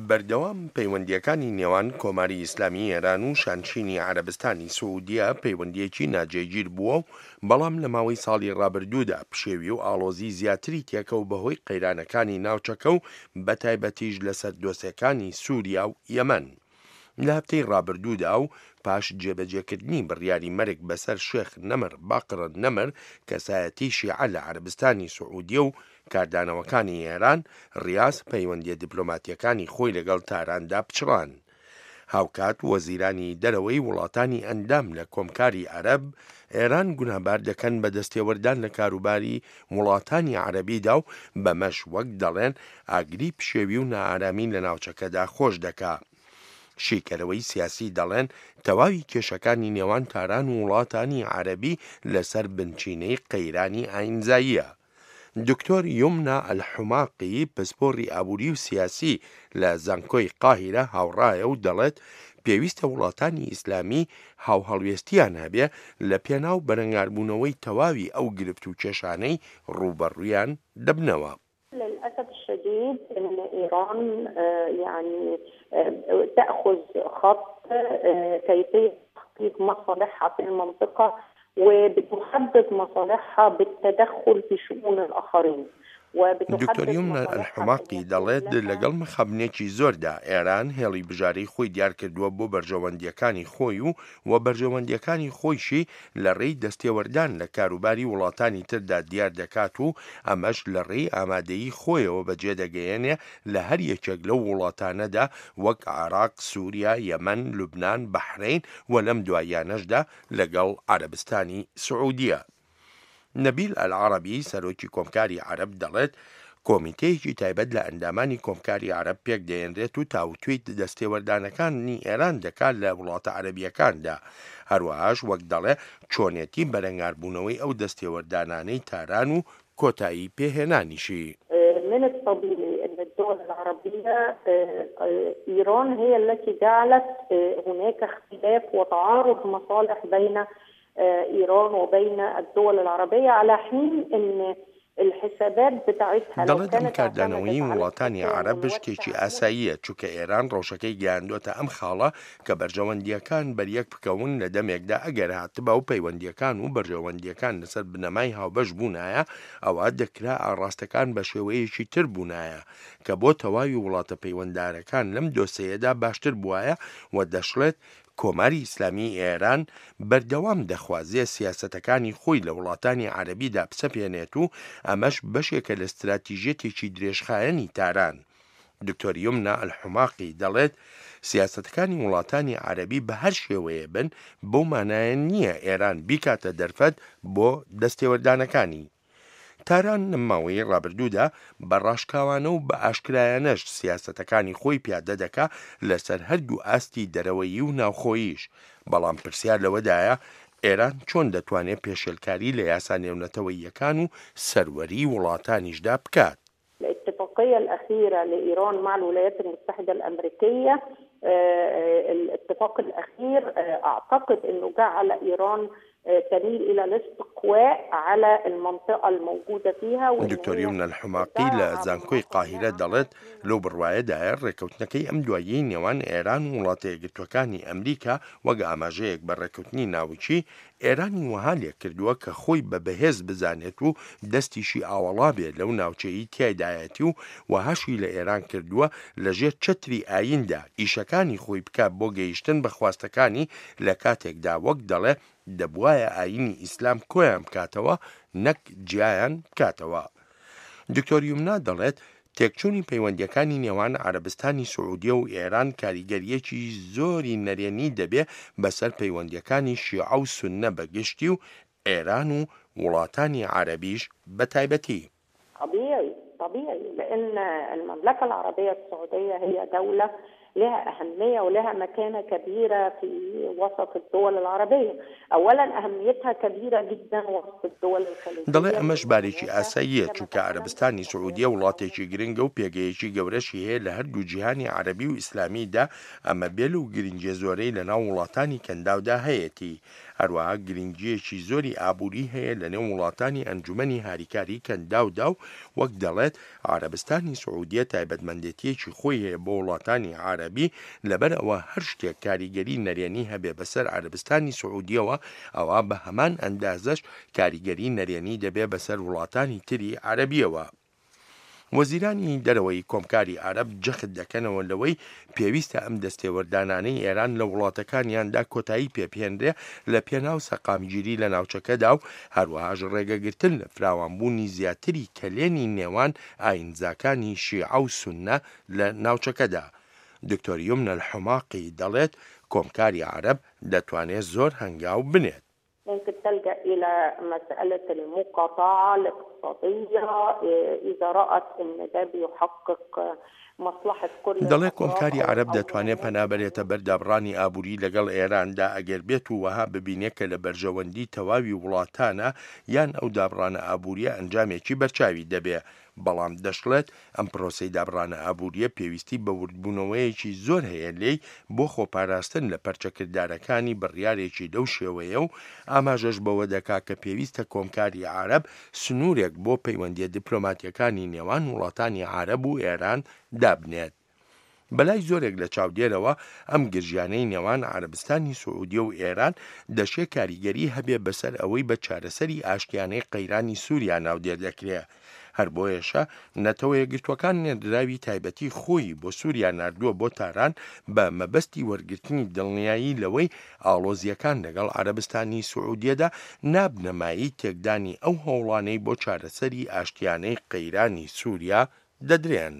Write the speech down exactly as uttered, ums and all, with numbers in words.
بەردەوام پەیوەندییەکانی نێوان کۆماری ئیسلامی ئێران و شانشینی عەرەبستانی سعودیە پەیوەندییەکی ناجێگیر بووە و بەڵام لە ماوەی ساڵی ڕابردوودا پشێوی و ئاڵۆزی زیاتری تێکەوت بەهۆی قەیرانەکانی ناوچەکە و بەتایبەتیش لەسەر دۆسێکانی سوریا و یەمەن. لە هەفتەی ڕابردوودا و پاش جێبەجێکردنی بڕیاری مەرگ بەسەر شێخ نەمر باقر نەمر، کەسایەتی شیعە لە عەرەبستانی سعودیە و کاردانەوەکانی ئێران، ڕیاز پەیوەندیە دیپلۆماتیەکانی خۆی لەگەڵ تاراندا پچڕان. هاوکات وەزیرانی دەرەوەی وڵاتانی ئەندام لە کۆمکاری عەرەب، ئێران گوناهبار دەکەن بە دەستێوەردان لە کاروباری وڵاتانی عەرەبیدا و بەمەش وەک دەڵێن ئاگری پشێوی و نائارامی لە ناوچەکەدا خۆش دەکا. شیکەرەوەی سیاسی دەڵێن تەواوی کێشەکانی نێوان تاران و وڵاتانی عەرەبی لەسەر بنچینەی قەیرانی ئاینزاییە. دکتۆر یومنا ئەلحوماقی پسپۆڕی ئابووری و سیاسی لە زانکۆی قاهیرە هاوڕایە و دەڵێت پێویستە وڵاتانی ئیسلامی هاوهەڵوێستیان هەبێ لە پێناو بەرەنگاربوونەوەی تەواوی ئەو گرفت و کێشانەی ڕووبەڕوویان دەبنەوە. للأسف الشديد أن إيران يعني تأخذ خط كيفية تحقيق مصالحها في المنطقة وبتحدد مصالحها بالتدخل في شؤون الآخرين. دکتۆر یومنا ئەلحوماقی دەڵێت لەگەڵ مخابنێکی زۆردا ئێران هێڵی بژارەی خۆی دیار کردووە بۆ بەرژەوەندیەکانی خۆی و و بەرژەوەندیەکانی خۆیشی لە ڕێی دەستێوەردان لە کاروباری وڵاتانی تردا دیار دەکات و ئەمەش لە ڕێی ئامادەیی خۆیەوە بەجێ دەگەیەنێ لە هەر یەکێک لەو وڵاتانەدا وەک عێراق، سوریا، یەمەن، لوبنان، بەحرەین و لەم دواییانەشدا لەگەڵ عەرەبستانی سعودیە. نەبیل ئەلعەرەبی سەرۆکی کۆمکاری عەرەب دەڵێت کۆمیتەیەکی تایبەت لە ئەندامانی کۆمکاری عەرەب پێک دەهێنرێت و تاوتوێی دەستێوەردانەکانی ئێران دەکات لە وڵاتە عەرەبیەکاندا. هەروەهاش وەک دەڵێ چۆنێتی بەرەنگاربوونەوەی ئەو دەستێوەردانانەی تاران و کۆتایی پێهێنانیشی. من الطبيعي أن الدول العربية إيران هي التي جعلت هناك اختلاف وتعارض مصالح بين إيران وبين الدول العربية، على حين أن الحسابات بتاعتها لو دەڵێت ئەم كانت کاردانەوەی اعتمدت على وڵاتانی التفاهم عەرەب شتێکی ئاساییە، چونکە ئێران ڕەوشەکەی گەیاندووەتە ئەم خاڵە کە بەرژەوەندیەکان بەریەک بکەون لە دەمێکدا ئەگەر هاتبا و پەیوەندیەکان و بەرژەوەندیەکان لەسەر بنەمای هاوبەش بوونایە، ئەوە دەکرا ئاڕاستەکان بە شێوەیەکی تر بوونایە کە بۆ تەواوی وڵاتە پەیوەنددارەکان لەم دۆسەیەدا باشتر بوایە. و دەشڵێت کۆماری ئیسلامی ئێران بەردەوام دەخوازێ سیاسەتەکانی خۆی لە وڵاتانی عەرەبیدا بسەپێنێت و ئەمەش بەشێکە لە استراتیژیەتێکی درێژخایەنی تاران. دکتۆر یومنا ئەلحوماقی دەڵێت سیاسەتەکانی وڵاتانی عەرەبی بە هەر شێوەیە بن بەو مانایە نییە ئێران بیکاتە دەرفەت بۆ دەستێوەردانەکانی. تاران لە ماوەی ڕابردوودا بە ڕاشکاوانە و بە ئاشکرایانەش سیاسەتەکانی خۆی پیادە دەکا لەسەر هەردوو ئاستی دەرەوەیی و ناوخۆییش. بەڵام پرسیار لەوەدایە ئێران چۆن دەتوانێت پێشێلکاری لە یاسا نێونەتەوەییەکان و سەروەری وڵاتانیشدا بکات. الاتفاقية الأخيرة لإيران مع الولايات المتحدة الأمريكية، الاتفاق الأخير أعتقد أنه جعل إيران تميل إلى الاستقواء على المنطقة الموجودة فيها. دکتۆر یومنا الحماقی لە زانکۆی قاهیرە دەڵێت لەو بڕوایەدایە ڕێککەوتنەکەی ئەم دواییەی نێوان ئێران و وڵاتە یەکگرتووەکانی ئەمریکا وەک ئاماژەیەک بە ڕێککەوتنی ناوکی ئێرانی وەها لێکردووە کە خۆی بە بەهێز بزانێت و دەستیشی ئاوەڵا بێت لەو ناوچەیەی تیایدایەتی و وەهاشی لە ئێران کردووە لەژێر چەتری ئاییندا ئیشەکانی خۆی بکات بۆ گەیشتن بە خواستەکانی لە کاتێکدا وەک دەڵێ دەبوایە ئایینی ئیسلام کۆیان بکاتەوە نەک جیایان بکاتەوە. دکتۆر یومنا دەڵێت تێکچوونی پەیوەندیەکانی نێوان عەرەبستانی سعودیە و ئێران کاریگەریەکی زۆری نەرێنی دەبێ بەسەر پەیوەندیەکانی شیعە و سوننە بەگشتی و ئێران و وڵاتانی عەرەبیش بە تایبەتی. طبيعي طبيعي لأن المملكة العربية السعودية هي دولة لها أهمية ولها مكانة كبيرة في وسط الدول العربية. أولا أهميتها كبيرة جدا وسط الدول الخليجية. دەڵێ ئەمەش بارێکی ئاساییە، چونکە عەرەبستانی سعودیە وڵاتێکی گرنگە و پێگەیەکی گەورەشی هەیە لە هەردوو جیهانی عەرەبی و ئیسلامیدا، ئەمە بێ لەو گرنگیە زۆرەی لەناو وڵاتانی کەنداودا هەیەتی. هەروەها گرنگیەکی زۆری ئابووری هەیە لەنێو وڵاتانی ئەنجومەنی هاریکاری کەنداودا و وەک دەڵێت عەرەبستانی سعودیە تایبەتمەندێتیەکی خۆی هەیە بۆ وڵاتانی عەرەبی، لەبەر ئەوە هەر شتێک کاریگەری نەرێنی هەبێ بەسەر عەرەبستانی سعودیەوە ئەوە بە هەمان ئەندازەش کاریگەری نەرێنی دەبێ بەسەر وڵاتانی تری عەرەبیەوە. وەزیرانی دەرەوەی کۆمکاری عەرەب جەخت دەکەنەوە لەوەی پێویستە ئەم دەستێوەردانانەی ئێران لە وڵاتەکانیاندا کۆتایی پێبهێنرێ لە پێناو سەقامگیری لە ناوچەکەدا و هەروەهاش ڕێگەگرتن لە فراوانبوونی زیاتری کەلێنی نێوان ئاینزاکانی شیعە و سوننە لە ناوچەکەدا. دکتۆر یومنە الحماقی دەڵێت کۆمکاری عەرەب دەتوانێت زۆر هەنگاو بنێت. ممكن تلجأ إلى مسألة المقاطعة الاقتصادية إذا رأت أن ده بيحقق مصلحة كل دەڵێ کۆمکاری عەرەب دەتوانێت پەنابەرێتە بەر دابڕانی ئابووری لەگەڵ ئێراندا ئەگەر بێت و وەها ببینێت کە لە بەرژەوەندی تەواوی وڵاتانە یان ئەو دابڕانە ئابووریە ئەنجامێکی بەرچاوی دەبێ. بەڵام دەشڵێت ئەم پرۆسەی دابڕانە ئابووریە پێویستی بە وردبوونەوەیەکی زۆر هەیە لێی بۆ خۆپاراستن لە پەرچەکردارەکانی بڕیارێکی لەو شێوەیە و ئاماژەش بەوە دەکا کە پێویستە کۆمکاری عەرەب سنوورێک بۆ پەیوەندیە دیپلۆماتیەکانی نێوان وڵاتانی عەرەب و ئێران دابنێت. بەلای زۆرێک لە چاودێرەوە ئەم گرژیانەی نێوان عەرەبستانی سعودیە و ئێران دەشێ کاریگەری هەبێ بەسەر ئەوەی بە چارەسەری ئاشتیانەی قەیرانی سووریا ناودێر دەکرێ. هەر بۆیەشە نەتەوە یەکگرتووەکان نێردراوی تایبەتی خۆی بۆ سووریا ناردووە بۆ تاران بە مەبەستی وەرگرتنی دڵنیایی لەوەی ئاڵۆزیەکان لەگەڵ عەرەبستانی سعودیەدا نابنەمایی تێکدانی ئەو هەوڵانەی بۆ چارەسەری ئاشتیانەی قەیرانی سووریا دەدرێن.